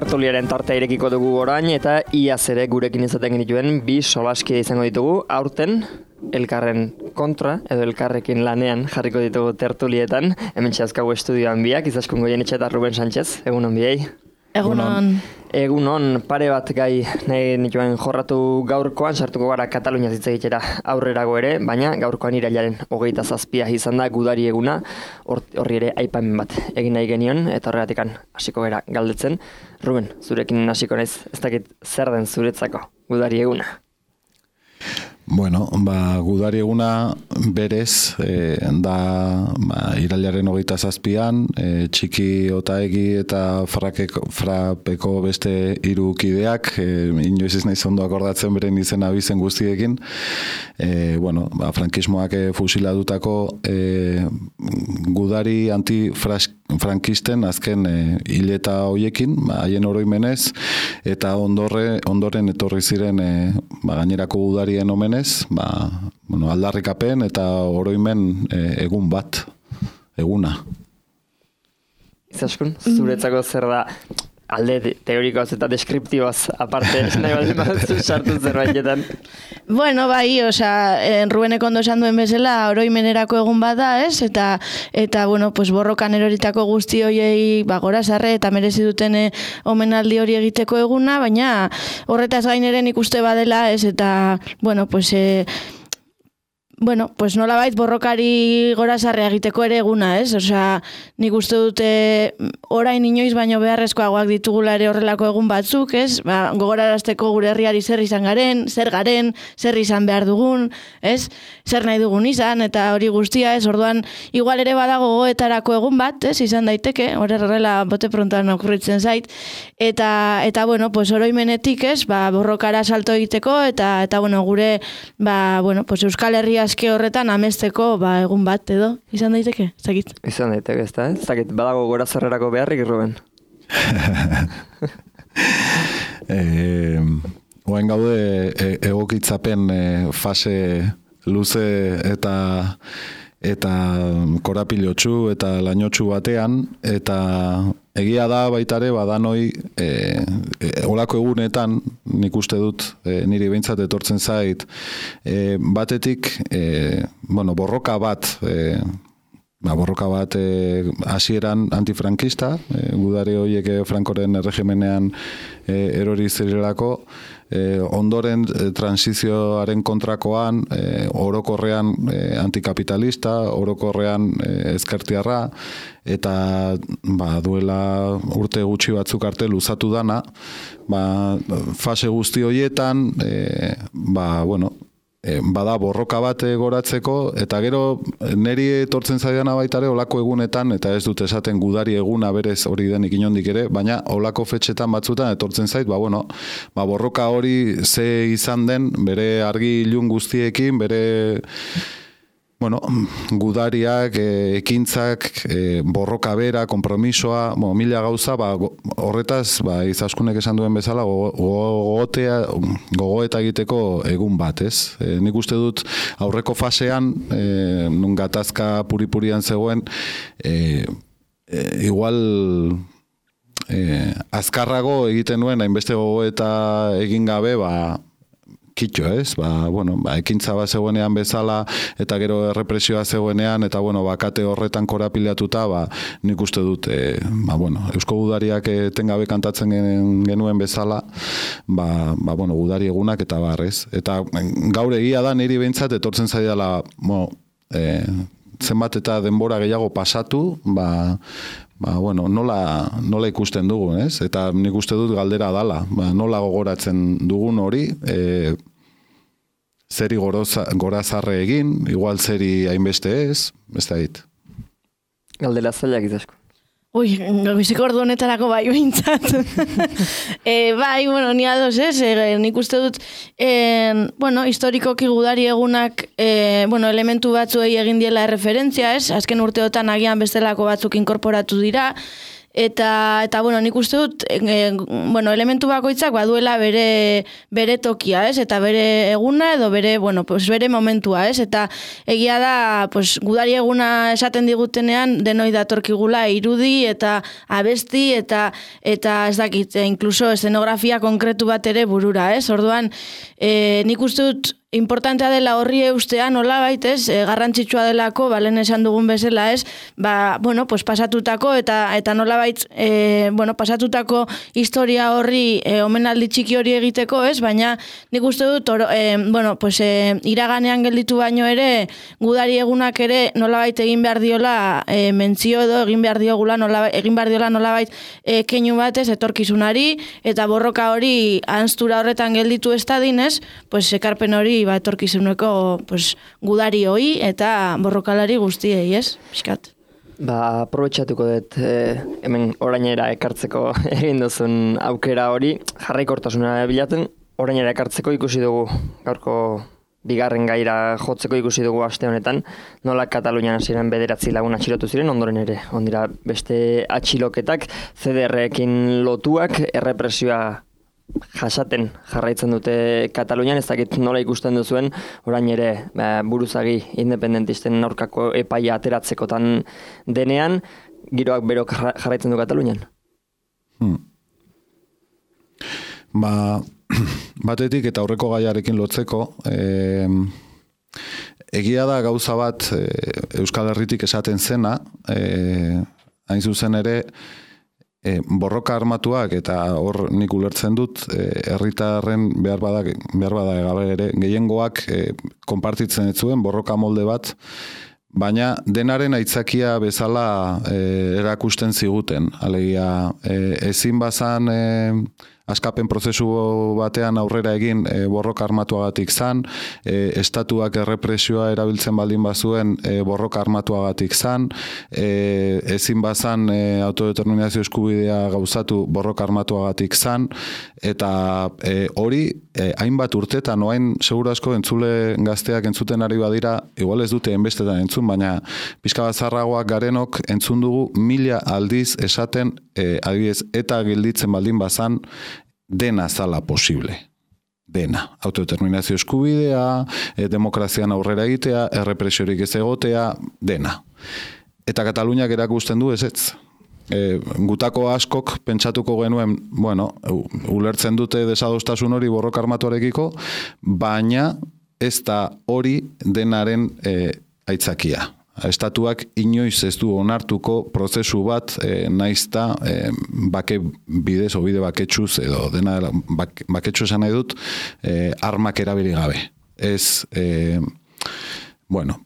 tertuliaren tartea irekiko dugu orain eta iaz ere gurekin izaten genituen bi solaskide izango ditugu aurten elkarren kontra edo elkarrekin lanean jarriko ditugu tertulietan. Hemen txazkagu estudioan biak, Izaskun Goienetxe eta Ruben Sánchez. Egunon biei. Egunon, pare bat gai nahi nituen jorratu gaurkoan, sartuko gara Katalunia hitz egitera aurrerago ere, baina gaurkoan irailaren 27 izan da gudari eguna, horri ere aipamen bat egin nahi genion, eta horregatikan hasiko gara galdetzen. Ruben, zurekin hasiko naiz, ez dakit zer den zuretzako gudari eguna? Bueno, gudari eguna berez da irailaren 27an, Txiki Otaegi eta Frapeko beste 3 kideak, inoiz ez naiz ondo akordatzen beren izena bizen guztiekin, frankismoak fusilatutako gudari antifrankisten azken hileta hoiekin, haien oroimenez, eta ondoren etorri ziren gainerako gudarien omenez, aldarrikapen eta oroimen eguna. Izaskun, zuretzako zer da alde teorikoaz eta deskriptiboaz aparte, nahi bat sartu zerbaitetan? Bueno, bai, Rubenek ondo esan duen bezala oroimenerako egun bada, ez? Eta borrokan eroritako guzti horiei gorazarre eta merezi duten omenaldi hori egiteko eguna, baina horretaz gaineren ikuste badela, ez? Eta, nolabait borrokari gorazarre egiteko ere eguna, ez? Nik uste dute orain inoiz baino beharrezkoagoak ditugula ere horrelako egun batzuk, ez? Gogorarazteko gure herriari zer izan garen, zer izan behar dugun, ez? Zer nahi dugun izan, eta hori guztia, ez? Orduan, igual ere badago gogoetarako egun bat, ez? Izan daiteke, horrela bote prontoan okurritzen zait. Eta oroimenetik, ez? Borrokara salto egiteko, eta gure, Euskal Herria aske horretan amesteko egun bat edo, izan daiteke? Ez dakit? Izan daiteke, ez da, ez dakit, badago gorazarrerako beharrik, Ruben? Oain gaude egokitzapen fase luze eta korapilotsu eta lainotsu batean, eta egia da baitare badanoi olako egunetan, nik uste dut niri behintzat etortzen zait, batetik borroka bat hasieran antifrankista, gudari horiek Frankoren erregimenean erori zirelako, ondoren transizioaren kontrakoan, orokorrean antikapitalista, orokorrean ezkertiarra, eta duela urte gutxi batzuk arte luzatu dana, fase guzti horietan, bada borroka bat goratzeko, eta gero neri etortzen zaidana baitare olako egunetan, eta ez dut esaten gudari eguna berez hori denik inondik ere, baina olako fetxetan batzutan etortzen zait, borroka hori ze izan den, bere argi ilun guztiekin, bere gudariak, ekintzak, borroka bera, kompromisoa, mila gauza, horretaz, Izaskunek esan duen bezala, gogoeta egiteko egun bat, ez? Nik uste dut aurreko fasean, nun gatazka puripurian zegoen, igual azkarrago egiten nuen, hainbeste gogoeta egin gabe, kitxo, ez? Ekintza bat zegoenean bezala, eta gero errepresioa zegoenean, eta bakate horretan korapilatuta, nik uste dut, Eusko Gudariak etengabe kantatzen genuen bezala, gudari egunak eta barrez. Eta gaur egia da niri behintzat etortzen zaidala, zenbat eta denbora gehiago pasatu, nola ikusten dugun, ez? Eta nik uste dut galdera dala, nola gogoratzen dugun hori, zeri gorazarre egin, igual zeri hainbeste ez da hit. Galdera zailak Izaskun. Goizeko ordu honetarako behintzat. Ni ados ez, nik uste dut, historikoki gudari egunak, elementu batzuei egin diela referentzia ez, azken urteotan agian bestelako batzuk inkorporatu dira, eta bueno, nik uste dut, bueno, elementu bakoitzak baduela bere tokia, ez? Eta bere eguna edo bere momentua, ez? Eta egia da, gudari eguna esaten digutenean denoi datorkigula irudi eta abesti eta ez dakit, inkluso eszenografia konkretu bat ere burura, ez? Orduan, nik uste dut importantea dela horri eustea nolabait, ez? Garrantzitsua delako, lehen esan dugun bezala, ez? Pasatutako eta nolabait, pasatutako historia horri omenaldi txiki hori egiteko, ez? Baina nik uste dut, iraganean gelditu baino ere, gudari egunak ere nolabait egin behar diola mentzio edo egin behar diola nolabait keinu batez etorkizunari eta borroka hori ahanztura horretan gelditu ez dadin, ez? Ekarpen hori etorkizuneko gudari hoi eta borrokalari guztiei, ez? Piskat. Aprobetxatuko dut hemen orainera ekartzeko egin duzun aukera hori, jarraikortasuna bilatzen, orainera ekartzeko ikusi dugu gaurko bigarren gaira jotzeko ikusi dugu aste honetan, nola Katalunian hasieran 9 lagun atxilotu ziren, ondoren ere ondira beste atxiloketak, CDR-ekin lotuak, errepresioa jasaten jarraitzen dute Katalunian, ez dakit nola ikusten duzuen, orain ere buruzagi independentisten aurkako epaia ateratzekotan denean, giroak bero jarraitzen du Katalunian? Batetik eta aurreko gaiarekin lotzeko, egia da gauza bat Euskal Herritik esaten zena, hain zuzen ere, borroka armatuak eta hor nik ulertzen dut herritarren behar bada gabe ere gehiengoak konpartitzen ez zuen borroka molde bat, baina denaren aitzakia bezala erakusten ziguten. Alegia ezin bazan askapen prozesu batean aurrera egin borroka armatuagatik zan, estatuak errepresioa erabiltzen baldin bazuen borroka armatuagatik zan, ezin bazan autodeterminazio eskubidea gauzatu borroka armatuagatik zan, eta hori hainbat urtetan, oain seguru asko entzule gazteak entzuten ari badira, igual ez dute enbestetan entzun, baina pixka bat zarragoak garenok entzun dugu 1000 aldiz esaten adibidez eta gelditzen baldin bazan, dena zala posible. Dena. Autodeterminazio eskubidea, demokrazian aurrera egitea, errepresiorik ez egotea, dena. Eta Kataluniak erakusten du ezetz. Gutako askok pentsatuko genuen, ulertzen dute desadostasun hori borroka armatuarekiko, baina ez da hori denaren aitzakia. Estatuak inoiz ez du onartuko prozesu bat naizta bake bidez o bide baketsuz edo dena baketsu esan nahi dut armak erabili gabe. Ez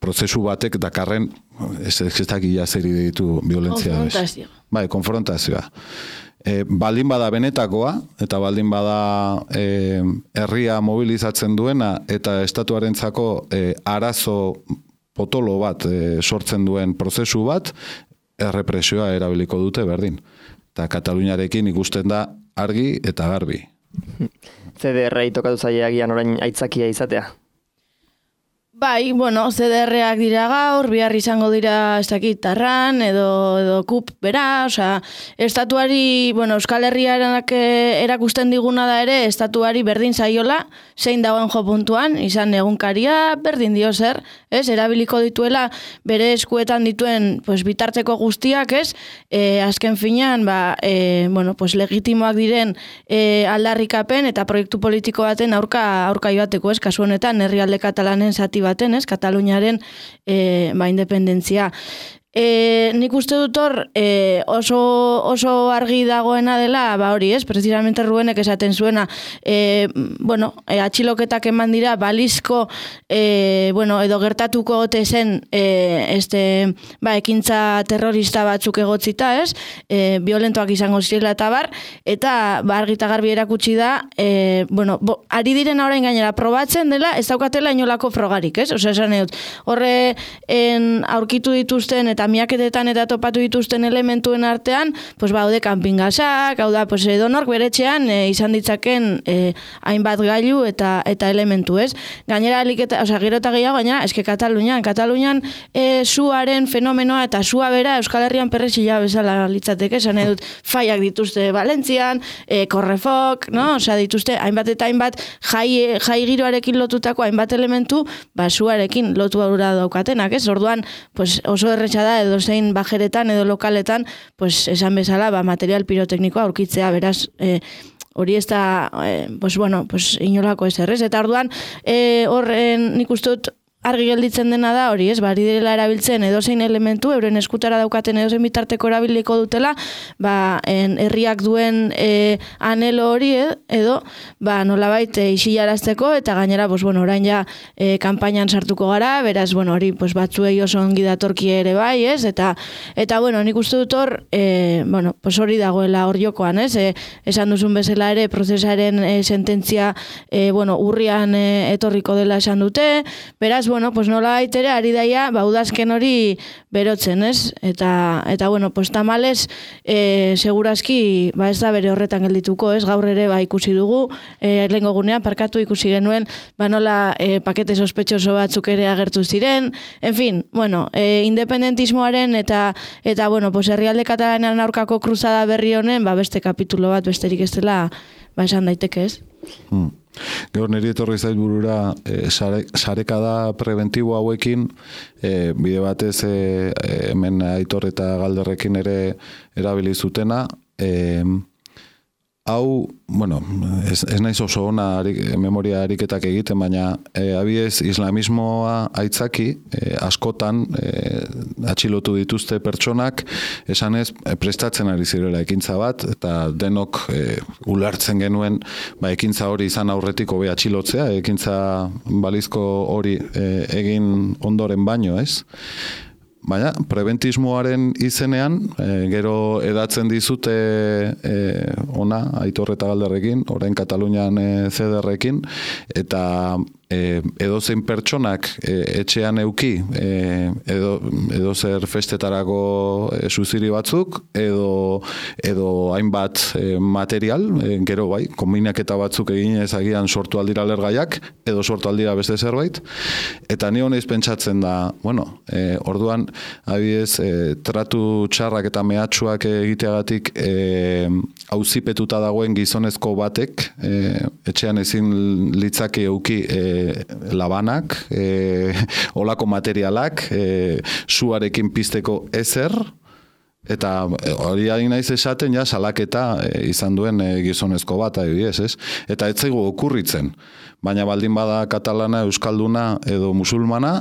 prozesu batek dakarren ez dakia zeri ditu violentzia. Konfrontazioa. Bai, konfrontazioa. Baldin bada benetakoa eta baldin bada herria mobilizatzen duena eta estatuarentzako arazo potolo bat sortzen duen prozesu bat, errepresioa erabiliko dute berdin. Eta Kataluniarekin ikusten da argi eta garbi. CDR-ei tokatu zaileagian orain aitzakia izatea? Bai, CDR-ak dira gaur, bihar izango dira ez dakit Tarran edo KUP bera, estatuari, Euskal Herriarenak erakusten diguna da ere, estatuari berdin zaiola, zein dagoen jo puntuan, izan egunkaria, berdin dio zer, ez, erabiliko dituela bere eskuetan dituen bitarteko guztiak, ez, azken finean, legitimoak diren aldarrikapen eta proiektu politiko baten aurka joateko, ez, kasu honetan, herrialde katalanen zati baten, ez, Kataluniaren independentzia. Nik uste dut hor oso argi dagoena dela, hori ez, precisamente Rubenek esaten zuena, atxiloketak eman dira balizko, edo gertatuko gote zen ekintza terrorista batzuk egotzita, ez, violentoak izango zirela eta eta argi eta garbi erakutsi da, ari direna orain gainera probatzen dela, ez daukatela inolako frogarik, ez, esan dut, horre aurkitu dituzten eta eta miaketetan eta topatu dituzten elementuen artean, pues baude kanpingasak, hau da, pues edonork beretxean izan ditzaken hainbat gailu eta elementu, ez? Gainera, gero eta gehiago, gainera, eske Katalunian suaren fenomenoa eta sua bera Euskal Herrian perrexila bezala litzateke, esan edut, faiak dituzte Valentzian, korrefok, no? Osea, dituzte, hainbat eta hainbat jai giroarekin lotutako hainbat elementu, suarekin lotu aurra daukatenak, ez? Orduan, pues oso erretxa da, edo zein bajeretan edo lokaletan, pues esan bezala, material piroteknikoa aurkitzea, beraz, hori ez da, pues inolako ez errez, eta orduan, horren nik uste dut, argi gelditzen dena da hori, ez? Bari direla erabiltzen edozein elementu, euren eskutara daukaten edozein bitarteko erabiliko dutela, herriak duen anelo hori, edo, nolabait isilarazteko, eta gainera, orain ja kanpainan sartuko gara, beraz, hori, batzuei oso ongi datorki ere bai, ez? Eta, nik uste dut hor, hori dagoela hor jokoan, ez? Esan duzun bezala ere, prozesaren sententzia, urrian etorriko dela esan dute, beraz, nola baitere, ari daia, udazken hori berotzen, ez? Eta tamales, segurazki, ez da bere horretan geldituko, ez? Gaur ere, ikusi dugu, lehengo gunean, parkatu ikusi genuen, nola pakete sospetxoso batzuk ere agertu ziren, en fin, independentismoaren eta herrialde katalanean aurkako kruzada berri honen, beste kapitulo bat besterik ez dela, esan daiteke, ez? Gaur niri etorri zait burura sarekada preventibo hauekin bide batez hemen Aitor eta Galderrekin ere erabili zutena hau, ez naiz oso ona memoria ariketak egiten, baina abiez islamismoa aitzaki askotan atxilotu dituzte pertsonak, esanez prestatzen ari zirela ekintza bat, eta denok ulertzen genuen ekintza hori izan aurretik hobe atxilotzea, ekintza balizko hori egin ondoren baino, ez? Baina, prebentismoaren izenean, gero edatzen dizute ona, Aitor eta Galderrekin, orain Katalunian CDR-ekin, eta edozein pertsonak etxean euki, edo zer festetarako suziri batzuk, edo hainbat material, gero bai, kombinaketa batzuk egin ezagian sortu aldira lergaiak, edo sortu aldira beste zerbait, eta ni honez pentsatzen da, orduan, abiez, tratu txarrak eta mehatxuak egiteagatik auzipetuta dagoen gizonezko batek, etxean ezin litzake euki labanak, olako materialak, suarekin pizteko ezer, eta hori ari naiz esaten ja salaketa izan duen gizonezko bat, adibidez, ez? Eta ez zaigu okurritzen, baina baldin bada katalana, euskalduna edo musulmana,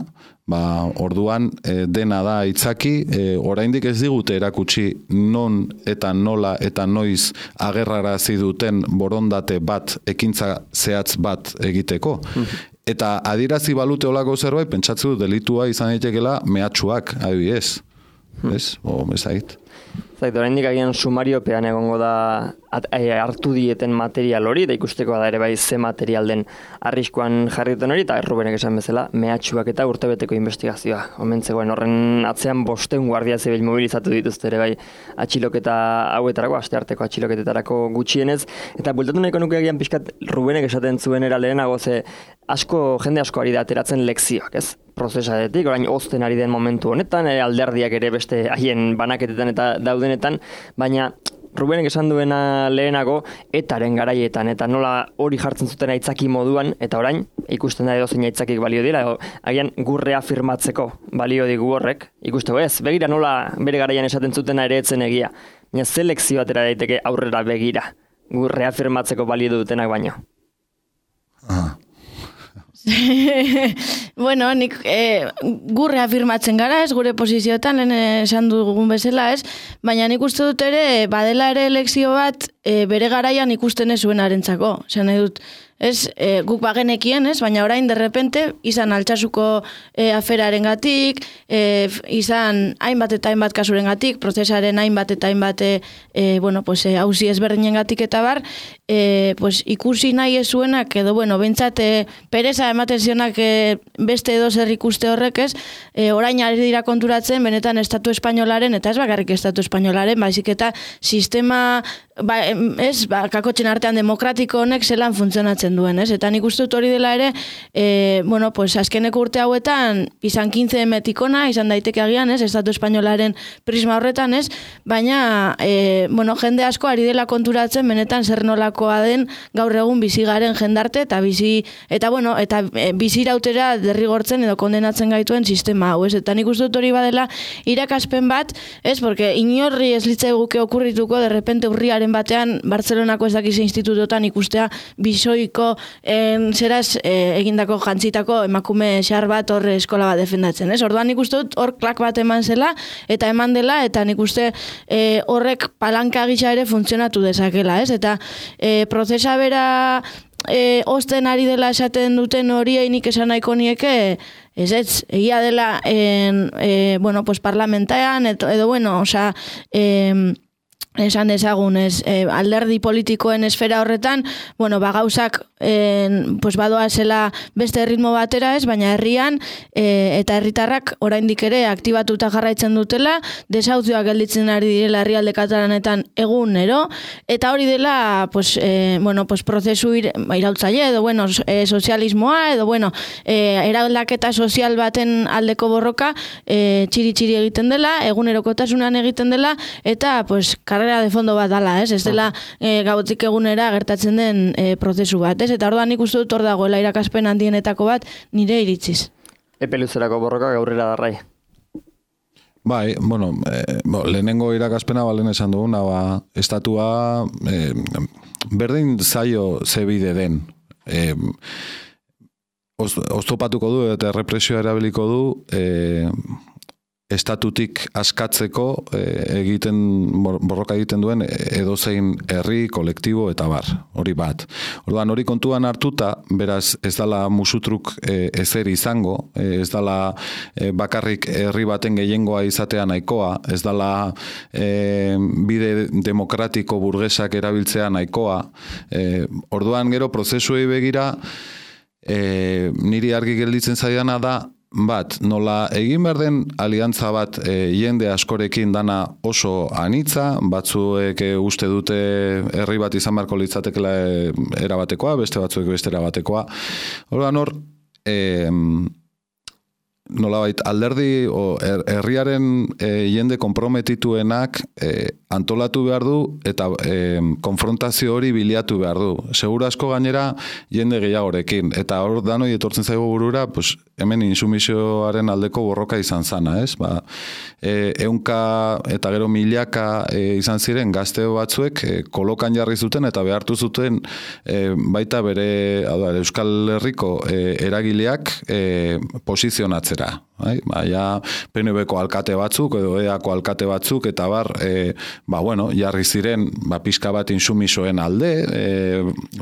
orduan dena da aitzaki, oraindik ez digute erakutsi non eta nola eta noiz agerrarazi duten borondate bat, ekintza zehatz bat egiteko. Eta adirazi balute olako zerbait, pentsatzu delitua izan daitekela mehatxuak, adibidez. Ez? Ez ait. Zait, oraindik agian sumariopean egongo da hartu dieten material hori, da ikusteko da ere bai ze material den arriskuan jarri duten hori, eta Rubenek esan bezala, mehatxuak eta urtebeteko investigazioa. Omentzegoen horren atzean 500 guardia zibil mobilizatu dituzte ere bai atxiloketa hauetarako, astearteko atxiloketetarako gutxienez, eta bultatu nahiko nuke agian pixkat Rubenek esaten zuen era lehenago ze jende asko ari da ateratzen lekzioak, ez? Prozesadetik, orain ozten ari den momentu honetan, alderdiak ere beste haien banaketetan eta daudenetan, baina Rubenek esan duena lehenago etaren garaietan, eta nola hori jartzen zuten aitzaki moduan, eta orain ikusten da edozein aitzakik balio dira, agian gurre afirmatzeko balio digu horrek, ikusteko ez, begira nola bere garaian esaten zutena ere etzen egia, baina selekzio atera daiteke aurrera begira, gurre afirmatzeko balio dutenak baino. Nik gurre afirmatzen gara, ez gure posizioetan, lehen esan dugun bezala, ez? Baina nik uste dut ere, badela ere elekzio bat, bere garaian ikusten ez zuen arentzako. Esan nahi dut, guk bagenekien, baina orain derrepente izan Altsasuko aferaren gatik, izan hainbat eta hainbat kasuren gatik, prozesaren hainbat eta hainbat hauzi ezberdinen gatik eta bar, ikusi nahi ez zuenak, edo, bentsat, pereza ematen zionak beste edo zer ikuste horrek orain ari dira konturatzen, benetan Estatu Espainolaren, eta ez bakarrik Estatu Espainolaren, baizik eta sistema, kakotxen artean demokratiko honek zelan funtzionatzen duen, eta nik uste dut hori dela ere, azkeneko urte hauetan, izan 15 metikona, izan daiteke agian, Estatu Espainolaren prisma horretan, baina, jende asko ari dela konturatzen, benetan zer nolakoa den gaur egun bizigaren jendarte, eta bizirautera derrigortzen edo kondenatzen gaituen sistema hau, eta nik uste dut hori badela irakaspen bat, porque inorri ez litzai guke okurrituko, derrepente urriaren batean, Bartzelonako ez dakize institutotan ikustea bisoiko zeraz egindako jantzitako emakume xar bat hor eskola bat defendatzen, Orduan nik uste dut hor klak bat eman zela, eta eman dela, eta nik uste horrek palanka gisa ere funtzionatu dezakela, Eta prozesa bera osten ari dela esaten duten horiei nik esan nahiko nieke, egia dela parlamentaean, edo esan dezagun, alderdi politikoen esfera horretan, gauzak badoa zela beste ritmo batera baina herrian eta herritarrak oraindik ere aktibatuta jarraitzen dutela, desauzioak gelditzen ari direla herrialde katalanetan egunero, eta hori dela prozesu iraultzaile, edo sozialismoa, edo eraldaketa sozial baten aldeko borroka txiri-txiri egiten dela, egunerokotasunan egiten dela, eta karrera de fondo bat dala, ez dela gautik egunera gertatzen den prozesu bat, eta orduan nik uste dut hor dagoela irakaspen handienetako bat nire iritziz. Epe luzerako borroka gaurrera darrai. Bai, lehenengo irakaspena balen esan duguna, estatua berdin zaio zebide den. Oztopatuko du eta errepresioa erabiliko du estatutik askatzeko borroka egiten duen edozein herri, kolektibo eta bar, hori bat. Orduan hori kontuan hartuta, beraz ez dala musutruk ezer izango, ez dala bakarrik herri baten gehiengoa izatea nahikoa, ez dala bide demokratiko burgesak erabiltzea nahikoa. Orduan gero prozesuei begira, niri argi gelditzen zaidana da, nola egin behar den aliantza bat jende askorekin dana oso anitza, batzuek uste dute herri bat izan beharko litzatekela erabatekoa, beste batzuek beste erabatekoa. Orduan hor, nolabait alderdi herriaren jende konprometituenak antolatu behar du eta konfrontazio hori bilatu behar du. Seguru asko gainera jende gehiagorekin. Eta hor danoi etortzen zaigu burura, hemen insumisioaren aldeko borroka izan zana, ez? Ehunka eta gero milaka izan ziren gazte batzuek kolokan jarri zuten eta behartu zuten baita bere Euskal Herriko eragileak posizionatzera. PNB-ko alkate batzuk edo EA-ko alkate batzuk eta jarri ziren pixka bat insumisoen alde,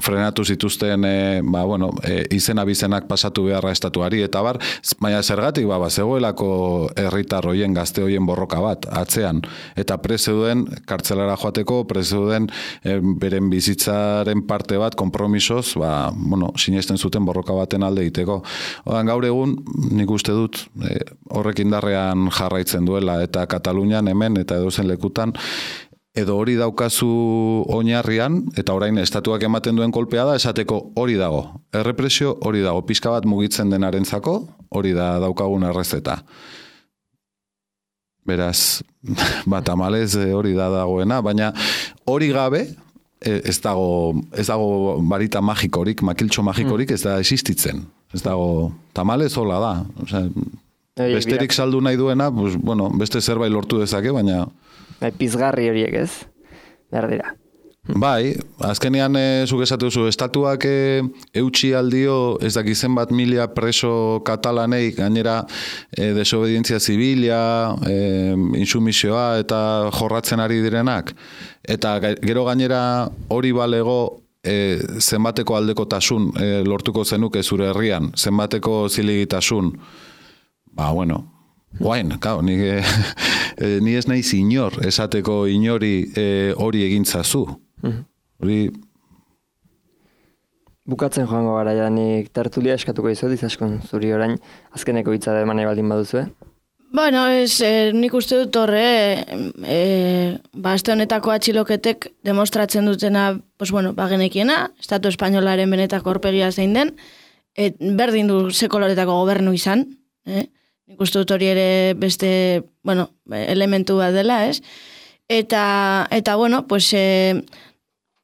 frenatu zituzten izena bizenak pasatu beharra estatuari eta baina zergatik zegoelako herritar hoien gazte hoien borroka bat atzean eta prezeuden kartzelara joateko, prezeuden beren bizitzaren parte bat konpromisoz sinesten zuten borroka baten alde egiteko. Gaur egun nik uste dut horrek indarrean jarraitzen duela eta Katalunian hemen eta edozen lekutan edo hori daukazu oinarrian eta orain estatuak ematen duen kolpea da esateko hori dago, errepresio hori dago, pixka bat mugitzen denarentzako hori da daukagun errezeta. Beraz, tamalez hori da dagoena, baina hori gabe ez dago barita magikorik, makiltxo magikorik ez da existitzen. Ez dago, tamalez hola da. Besterik saldu nahi duena, beste zerbait lortu dezake, baina... Pizgarri horiek ez, behar dira. Bai, azkenean zuk esatu duzu, estatuak eutxi aldio ez dakizen bat mila preso katalanei, gainera desobedientzia zibilia, insumisioa eta jorratzen ari direnak. Eta gero gainera hori balego zenbateko aldekotasun lortuko zenuke zure herrian, zenbateko zilegitasun, bueno, guain, ni ez naiz inor, esateko inori hori egintzazu. Hori... Bukatzen joango gara, nik tertulia eskatuko izot, izaskon zuri orain, azkeneko hitza da eman nahi baldin baduzu, Bueno, nik uste dut horre, aste honetako atxiloketek demostratzen dutena, genekiena, Estatu Espainolaren benetako aurpegia zein den, berdin du ze koloretako gobernu izan, nik uste dut hori ere beste, elementu bat dela, ez? Eta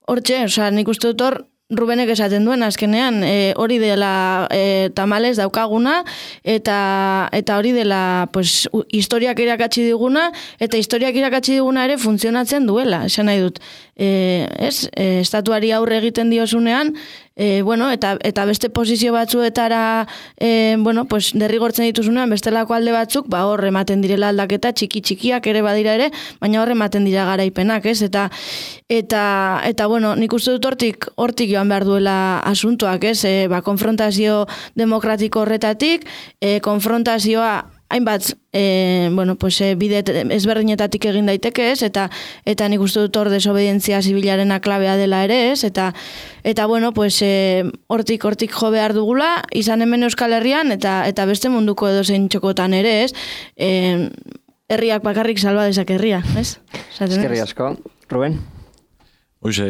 hortxe, nik uste dut hor, Rubenek esaten duen azkenean, hori dela tamales daukaguna, eta hori dela historiak irakatsi diguna, eta historiak irakatsi diguna ere funtzionatzen duela, esan nahi dut. Estatuari aurre egiten diozunean, eta beste posizio batzuetara derrigortzen dituzunean, bestelako alde batzuk, hor ematen direla aldaketa, txikiak ere badira ere, baina hor ematen dira garaipenak, ez? Eta nik uste dut hortik joan behar duela asuntoak, ez? Konfrontazio demokratiko horretatik, konfrontazioa hainbat, bide ezberdinetatik egin daiteke, ez? Eta nik uste dut hor desobedientzia zibilarena klabea dela ere, ez? Eta hortik jo behar dugula, izan hemen Euskal Herrian, eta beste munduko edozein txokotan ere, ez? Herriak bakarrik salba dezak herria, ez? Eskerri asko. Ruben? Uxe,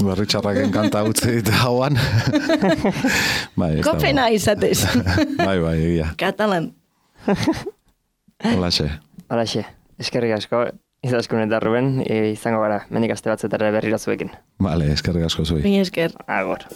berritxarraken kanta utzi eta hauan. Kopena izatez. Bai, egia. Katalan. Holaxe. Eskerrik asko, Izaskun eta Ruben, izango gara, mendik aste batzetara berrira zuekin. Eskerrik asko zui. Esker. Agor.